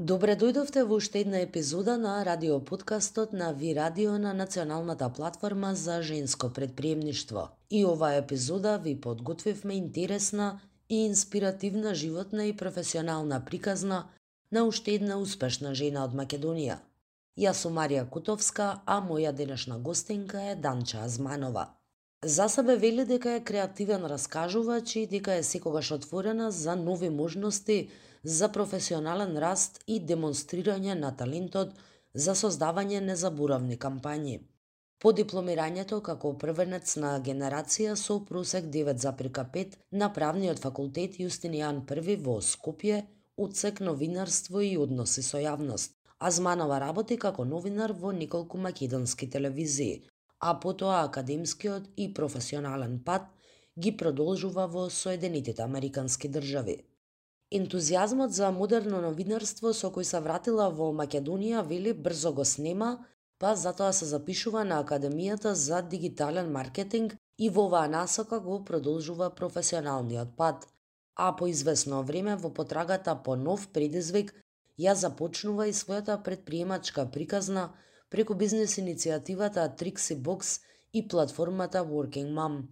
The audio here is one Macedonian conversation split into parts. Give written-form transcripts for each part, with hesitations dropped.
Добре дојдовте во уште една епизода на радиоподкастот на Ви Радио на националната платформа за женско предприемништво. И оваа епизода ви подготвивме интересна и инспиративна животна и професионална приказна на уште една успешна жена од Македонија. Јас сум Марија Кутовска, а моја денешна гостинка е Данча Азманова. За себе вели дека е креативен раскажувач и дека е секогаш отворена за нови можности за професионален раст и демонстрирање на талентот за создавање незаборавни кампањи. По дипломирањето како првенец на генерација со просек 9,5 на правниот факултет Јустинијан I во Скопје, одсек новинарство и односи со јавност. Азманова работи како новинар во неколку македонски телевизии, а потоа академскиот и професионален пат ги продолжува во Соединетите Американски држави. Ентузијазмот за модерно новинарство со кој се вратила во Македонија вели брзо го снема, па затоа се запишува на Академијата за дигитален маркетинг и во оваа насока го продолжува професионалниот пат, а по извесно време во потрагата по нов предизвик ја започнува и својата предприемачка приказна преку бизнес иницијативата Trixie Box и платформата Working Mom,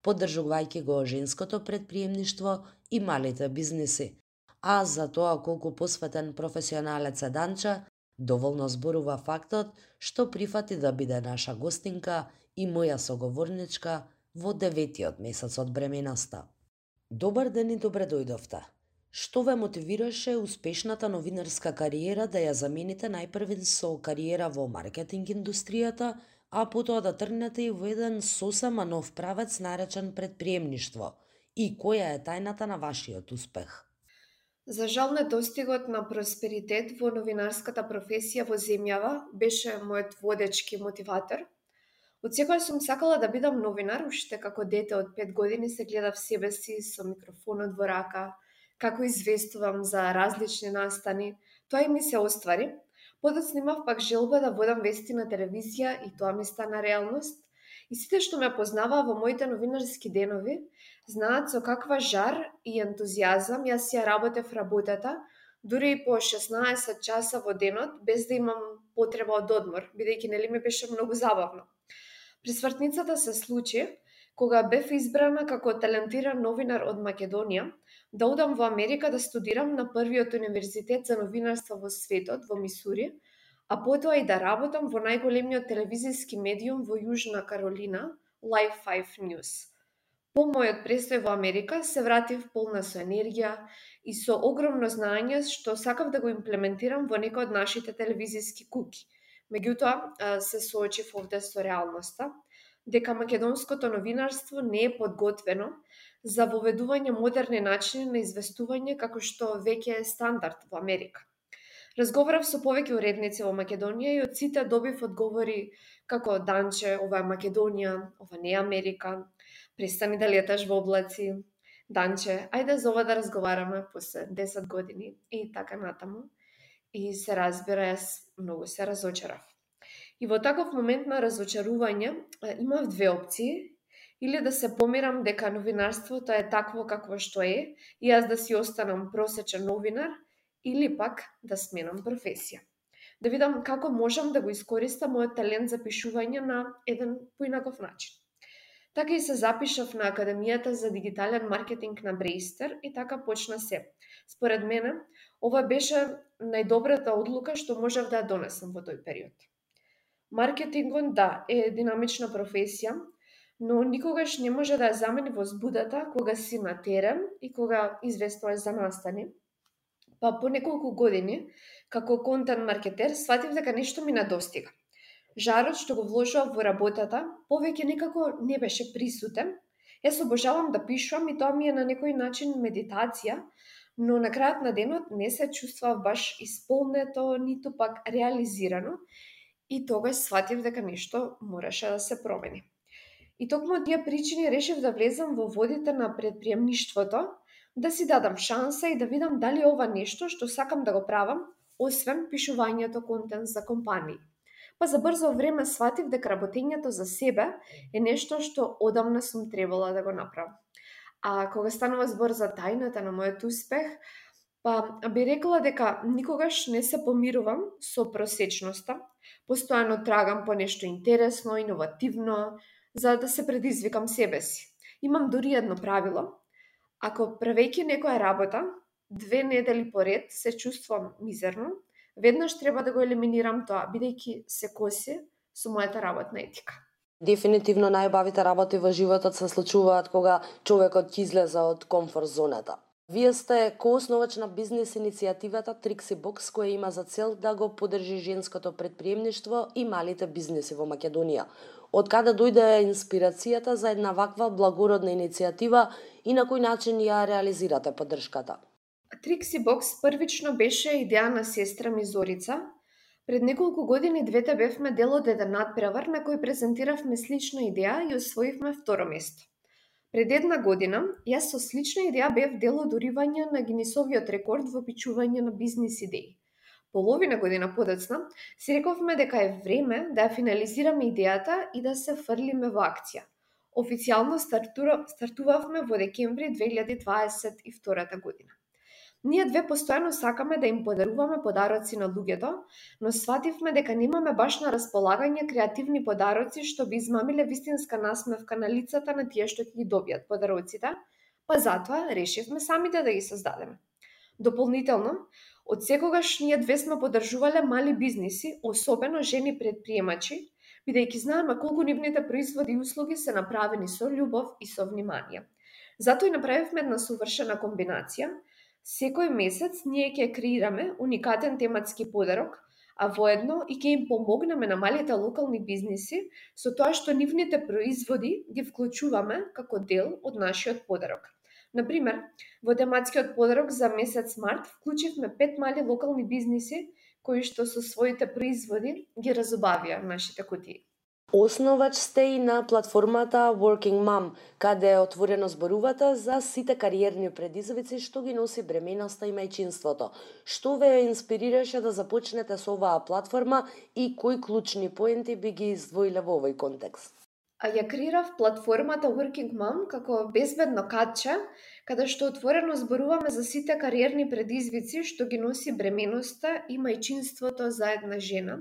поддржувајќи го женското предприемништво и малите бизнеси. А за тоа колку посветен професионалец е Данча, доволно зборува фактот што прифати да биде наша гостинка и моја соговорничка во 9-тиот месец од бременоста. Добар ден и добре дојдовте. Што ве мотивираше успешната новинарска кариера да ја замените најпрвен со кариера во маркетинг индустријата, а потоа да тргнете и во еден сосема нов правец наречен предприемништво? И која е тајната на вашиот успех? За жал, недостигот на просперитет во новинарската професија во земјава беше мојот водечки мотиватор. Од секојаш сум сакала да бидам новинар, уште како дете од 5 години се гледав себе си со микрофонот во рака, како известувам за различни настани. Тоа и ми се оствари. Подоцна имав пак желба да водам вести на телевизија и тоа ми стана реалност. И сите што ме познаваа во моите новинарски денови, знаат со каква жар и ентузијазам јас ја работев работата, дури и по 16 часа во денот, без да имам потреба од одмор, бидејќи нели ми беше многу забавно. Присвртницата се случи кога бев избрана како талентиран новинар од Македонија да одам во Америка да студирам на првиот универзитет за новинарство во светот, во Мисури, а потоа и да работам во најголемиот телевизиски медиум во Јужна Каролина, Live 5 News. По мојот престој во Америка се вратив полна со енергија и со огромно знаење што сакав да го имплементирам во некој од нашите телевизиски куки. Меѓутоа, се соочив овде со реалноста, дека македонското новинарство не е подготвено за воведување модерни начини на известување како што веќе е стандард во Америка. Разговарав со повеќе уредници во Македонија и од сите добив одговори како: Данче, ова е Македонија, ова не е Америка, престани да леташ во облаци, Данче, ајде за ова да разговараме после 10 години и така натаму. И се разбира, јас многу се разочарав. И во таков момент на разочарување имав две опции: или да се помирам дека новинарството е такво какво што е и јас да си останам просечен новинар, или пак да сменам професија. Да видам како можам да го искористам мојот талент за пишување на еден поинаков начин. Така и се запишав на Академијата за дигитален маркетинг на Брејстер и така почна се. Според мене, ова беше најдобрата одлука што можев да ја донесам во тој период. Маркетингот, да, е динамична професија, но никогаш не може да ја замени возбудата кога си на терен и кога известуваш за настани. Па по неколку години, како контент маркетер, сватив дека нешто ми недостига. Жарот што го вложував во работата повеќе некако не беше присутен. Јас обожавам да пишувам и тоа ми е на некој начин медитација, но на крајот на денот не се чувствував баш исполнето, ниту пак реализирано, и тогаш сватив дека нешто мораше да се промени. И токму од тие причини решив да влезам во водите на предприемништвото, да си дадам шанса и да видам дали ова нешто што сакам да го правам, освен пишувањето контент за компании. Па за брзо време сватив дека работењето за себе е нешто што одамна сум требала да го направам. А кога станува збор за тајната на мојот успех, Би рекла дека никогаш не се помирувам со просечноста, постојано трагам по нешто интересно, иновативно, за да се предизвикам себе си. Имам дури едно правило: ако правејќи некоја работа 2 недели поред се чувствувам мизерно, веднаш треба да го елиминирам тоа, бидејќи се коси со мојата работна етика. Дефинитивно најубавите работи во животот се случуваат кога човекот ќе излезе од комфорт зоната. Вие сте коосновач на бизнис иницијативата Trixie Box, која има за цел да го поддржи женското претприемништво и малите бизниси во Македонија. Од каде дојде инспирацијата за една ваква благородна иницијатива и на кој начин ја реализирате поддршката? Trixie Box првично беше идеја на сестра ми Зорица. Пред неколку години двете бевме дел од еден надпревар на кој презентиравме слична идеја и освоивме второ место. Пред 1 година, јас со слична идеја бев дел од уривање на Гинисовиот рекорд во пичување на бизнис идеи. Половина година подоцна, си рековме дека е време да ја финализираме идејата и да се фрлиме во акција. Официјално стартувавме во декември 2022 година. Ние две постојано сакаме да им подаруваме подароци на луѓето, но свативме дека немаме баш на располагање креативни подароци што би измамиле вистинска насмевка на лицата на тие што ќе ги добијат подароците, па затоа решивме самите да ги создадеме. Дополнително, од секогаш ние две сме поддржувале мали бизниси, особено жени предприемачи, бидејќи знаеме колку нивните производи и услуги се направени со љубов и со внимание. Затоа и направивме една совршена комбинација. Секој месец ние ќе креираме уникатен тематски подарок, а воедно и ќе им помогнеме на малите локални бизниси со тоа што нивните производи ги вклучуваме како дел од нашиот подарок. Например, во тематскиот подарок за месец март вклучивме 5 мали локални бизниси кои што со своите производи ги разубавија нашите кутии. Основач сте и на платформата Working Mom, каде отворено зборувате за сите кариерни предизвици што ги носи бременоста и мајчинството. Што ве инспирираше да започнете со оваа платформа и кои клучни поенти би ги издвоиле во овој контекст? Ја креирав платформата Working Mom како безбедно катче, каде што отворено зборуваме за сите кариерни предизвици што ги носи бременоста и мајчинството за една жена,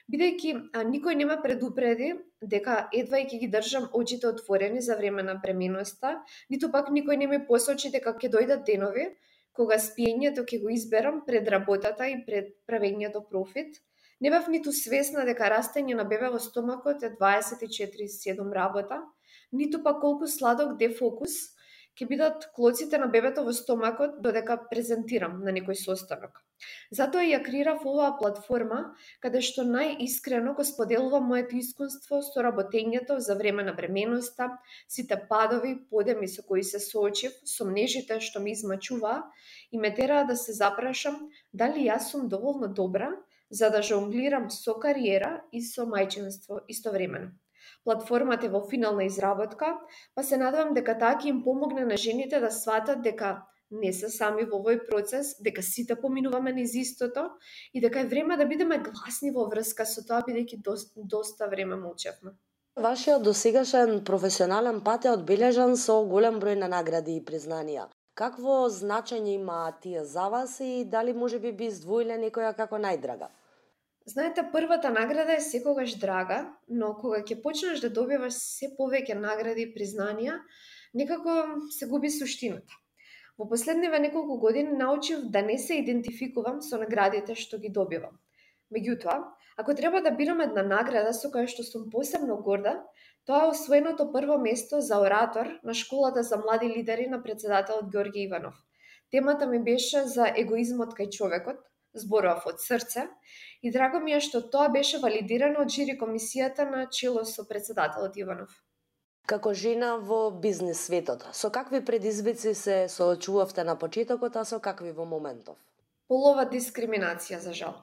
бидејќи никој не ме предупреди дека едва и ќе ги држам очите отворени за време на бременоста, ниту пак никој не ми посочи дека ќе дојдат денови кога спиењето ќе го изберам пред работата и пред правењето профит. Не бев ниту свесна дека растење на бебе во стомакот е 24/7 работа, ниту пак колку сладок дефокус ќе бидат клоците на бебето во стомакот додека презентирам на некој состанок. Затоа ја креирав оваа платформа каде што најискрено го споделувам моето искуство со работењето за време на бременоста, сите падови, подеми со кои се соочив, сомнежите што ми измачуваа и ме тераа да се запрашам дали јас сум доволно добра за да жонглирам со кариера и со мајчинство истовремено. Платформата е во финална изработка, па се надевам дека таа ќе им помогне на жените да сватат дека не се сами во овој процес, дека сите поминуваме низ истото и дека е време да бидеме гласни во врска со тоа, бидејќи доста време молчевме. Вашиот досегашен професионален пат е одбележан со голем број на награди и признанија. Какво значење имаат тие за вас и дали можеби би издвоиле некоја како најдрага? Знаете, првата награда е секогаш драга, но кога ќе почнеш да добиваш се повеќе награди и признанија, некако се губи суштината. Во последниве неколку години научив да не се идентификувам со наградите што ги добивам. Меѓутоа, ако треба да бирам една награда со која што сум посебно горда, тоа е освоеното прво место за оратор на школата за млади лидери на претседателот Ѓорѓе Иванов. Темата ми беше за егоизмот кај човекот, зборував од срце и драго ми е што тоа беше валидирано од жири комисијата на чело со претседателот Иванов. Како жена во бизнис светот, со какви предизвици се соочувавте на почетокот, а со какви во моментов? Полова дискриминација, за жал.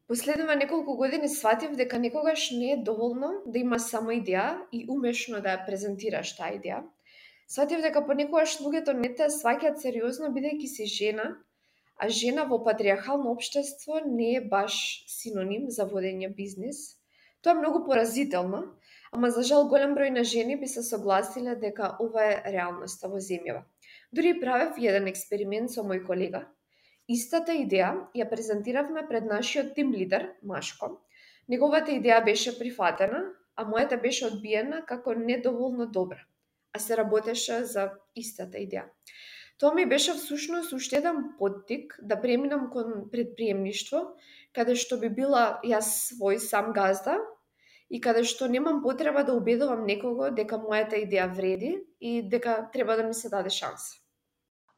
Последниве неколку години сватив дека никогаш не е доволно да имаш само идеја и умешно да ја презентираш таа идеја. Сватив дека понекогаш луѓето не те сваќаат сериозно бидејќи си жена, а жена во патриархално општество не е баш синоним за водење бизнис. Тоа е многу поразително, ама за жал голем број на жени би се согласиле дека ова е реалноста во земјава. Дури правев еден експеримент со мој колега. Истата идеја ја презентиравме пред нашиот тим лидер, Машко. Неговата идеја беше прифатена, а мојата беше одбиена како недоволно добра, а се работеше за истата идеја. Тоа ми беше всушност уште еден поттик да преминам кон предприемништво, каде што би била јас свој сам газда и каде што немам потреба да убедувам некого дека мојата идеја вреди и дека треба да ми се даде шанса.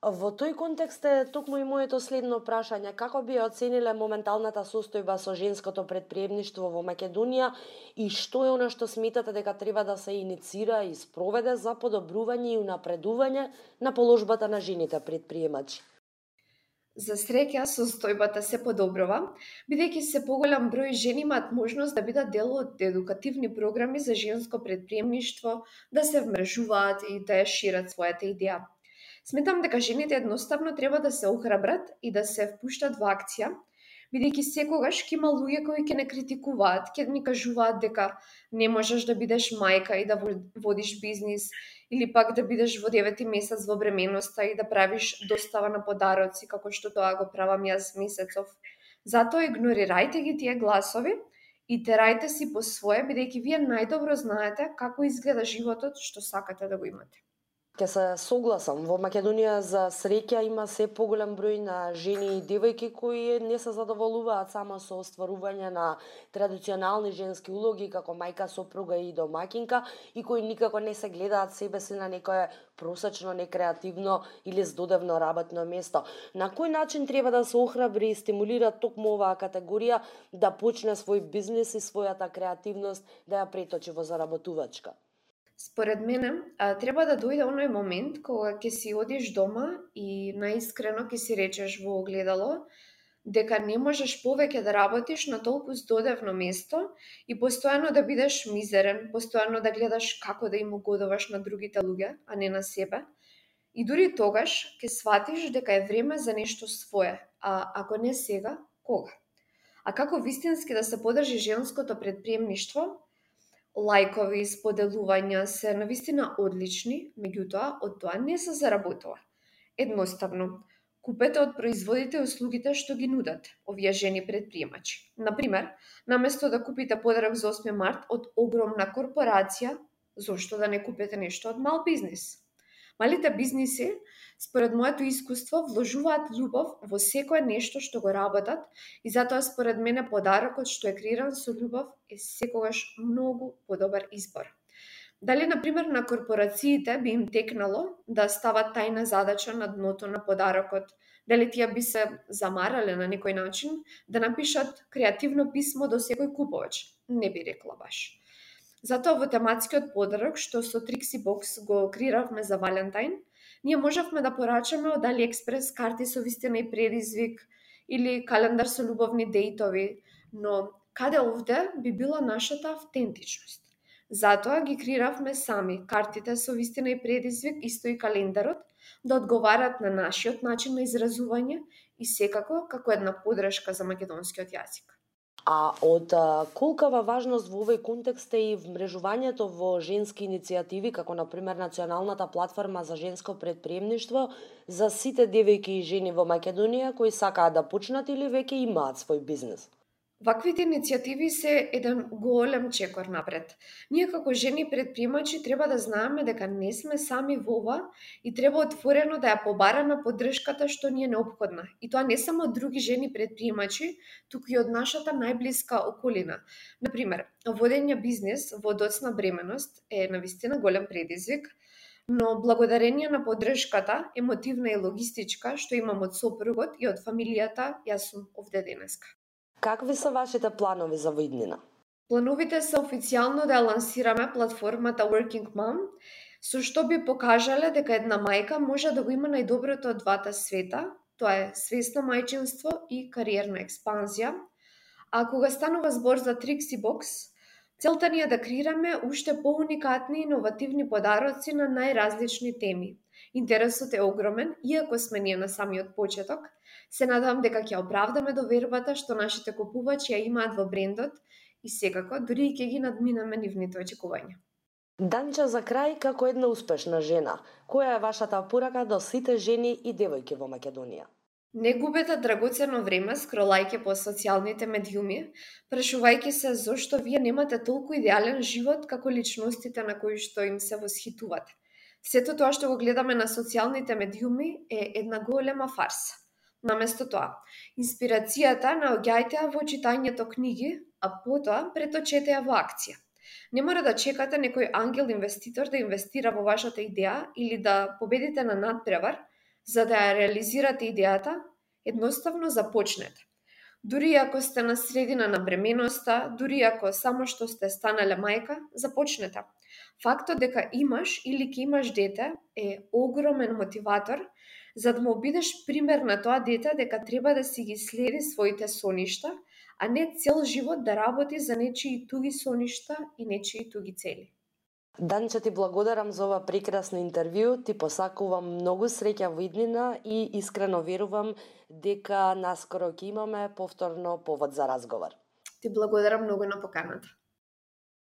Во тој контекст е токму и моето следно прашање. Како би ја оцениле моменталната состојба со женското предприемништво во Македонија и што е она што сметате дека треба да се иницира и спроведе за подобрување и унапредување на положбата на жените предприемачи? За среќа, состојбата се подобрува, бидејќи се поголем број жени имаат можност да бидат дел од едукативни програми за женско предприемништво, да се вмрежуваат и да ја шират својата идеја. Сметам дека жените едноставно треба да се охрабрат и да се впуштат во акција, бидејќи секогаш ќе има луѓе кои ќе не критикуваат, ќе ни кажуваат дека не можеш да бидеш мајка и да водиш бизнис, или пак да бидеш во 9-ти месец во бременоста и да правиш достава на подароци, како што тоа го правам јас месецов. Затоа игнорирајте ги тие гласови и терајте си по свое, бидејќи вие најдобро знаете како изгледа животот што сакате да го имате. Ке се согласам, во Македонија за среќа има се поголем број на жени и девојки кои не се задоволуваат само со остварување на традиционални женски улоги како мајка, сопруга и домакинка и кои никако не се гледаат себе си на некое просечно, некреативно или здодевно работно место. На кој начин треба да се охрабри и стимулира токму оваа категорија да почне свој бизнис и својата креативност да ја преточи во заработувачка? Според мене, треба да дојде оној момент кога ќе си одиш дома и наискрено ќе си речеш во огледало дека не можеш повеќе да работиш на толку здодевно место и постојано да бидеш мизерен, постојано да гледаш како да им угодуваш на другите луѓе, а не на себе. И дури тогаш ќе сватиш дека е време за нешто свое, а ако не сега, кога? А како вистински да се подржи женското предприемништво? Лајкови, споделувања се навистина одлични, меѓутоа од тоа не се заработува. Едноставно, купете од производите и услугите што ги нудат овие жени предприемачи. Например, наместо да купите подарок за 8 март од огромна корпорација, зошто да не купите нешто од мал бизнис? Малите бизниси, според моето искуство, вложуваат љубов во секое нешто што го работат и затоа според мене подарокот што е креиран со љубов е секогаш многу подобар избор. Дали, например, на корпорациите би им текнало да стават тајна задача на дното на подарокот, дали тие би се замарале на некој начин да напишат креативно писмо до секој купувач? Не би рекла баш. Затоа во тематскиот подарок што со Trixie Box го креиравме за Валентайн, ние можевме да порачаме од AliExpress карти со вистина и предизвик или календар со љубовни дејтови, но каде овде би била нашата автентичност? Затоа ги креиравме сами картите со вистина и предизвик, исто и календарот, да одговарат на нашиот начин на изразување и секако како една подршка за македонскиот јазик. А од колкава важност во овој контекст е и вмрежувањето во женски иницијативи, како например Националната платформа за женско предприемништво за сите девојки и жени во Македонија кои сакаат да почнат или веќе имаат свој бизнис? Ваквите иницијативи се еден голем чекор напред. Ние како жени предприемачи треба да знаеме дека не сме сами во ова и треба отворено да ја побараме поддршката што ни е неопходна. И тоа не само од други жени предприемачи, туку и од нашата најблиска околина. Например, водење бизнис во доцна бременост е навистина голем предизвик, но благодарение на поддршката, емотивна и логистичка, што имам од сопругот и од фамилијата, јас сум овде денеска. Какви се вашите планови за воиднина? Плановите се официјално да ја лансираме платформата Working Mom, со што би покажале дека една мајка може да го има најдоброто од двата света, тоа е свесно мајчинство и кариерна експанзија. А кога станува збор за Trixie Box, целта ни е да креираме уште поуникатни и иновативни подароци на најразлични теми. Интересот е огромен, иако сме ние на самиот почеток. Се надевам дека ќе оправдаме довербата што нашите купувачи ја имаат во брендот и секако дури и ќе ги надминеме нивните очекувања. Данча, за крај, како една успешна жена, која е вашата порака до сите жени и девојки во Македонија? Не губете драгоцено време скролајќи по социјалните медиуми, прашувајќи се зошто вие немате толку идеален живот како личностите на кои што им се восхитувате. Сето тоа што го гледаме на социјалните медиуми е една голема фарса. Наместо тоа, инспирацијата наоѓајте ја во читањето книги, а потоа преточете ја во акција. Не мора да чекате некој ангел инвеститор да инвестира во вашата идеја или да победите на надпревар, за да ја реализирате идејата, едноставно започнете. Дури ако сте на средина на бременоста, дури ако само што сте станале мајка, започнете. Фактот дека имаш или ќе имаш дете е огромен мотиватор за да му бидеш пример на тоа дете дека треба да си ги следи своите соништа, а не цел живот да работи за нечии туги соништа и нечии туги цели. Данче, ти благодарам за ова прекрасно интервју, ти посакувам многу среќа во иднина и искрено верувам дека наскоро ќе имаме повторно повод за разговор. Ти благодарам многу на поканата.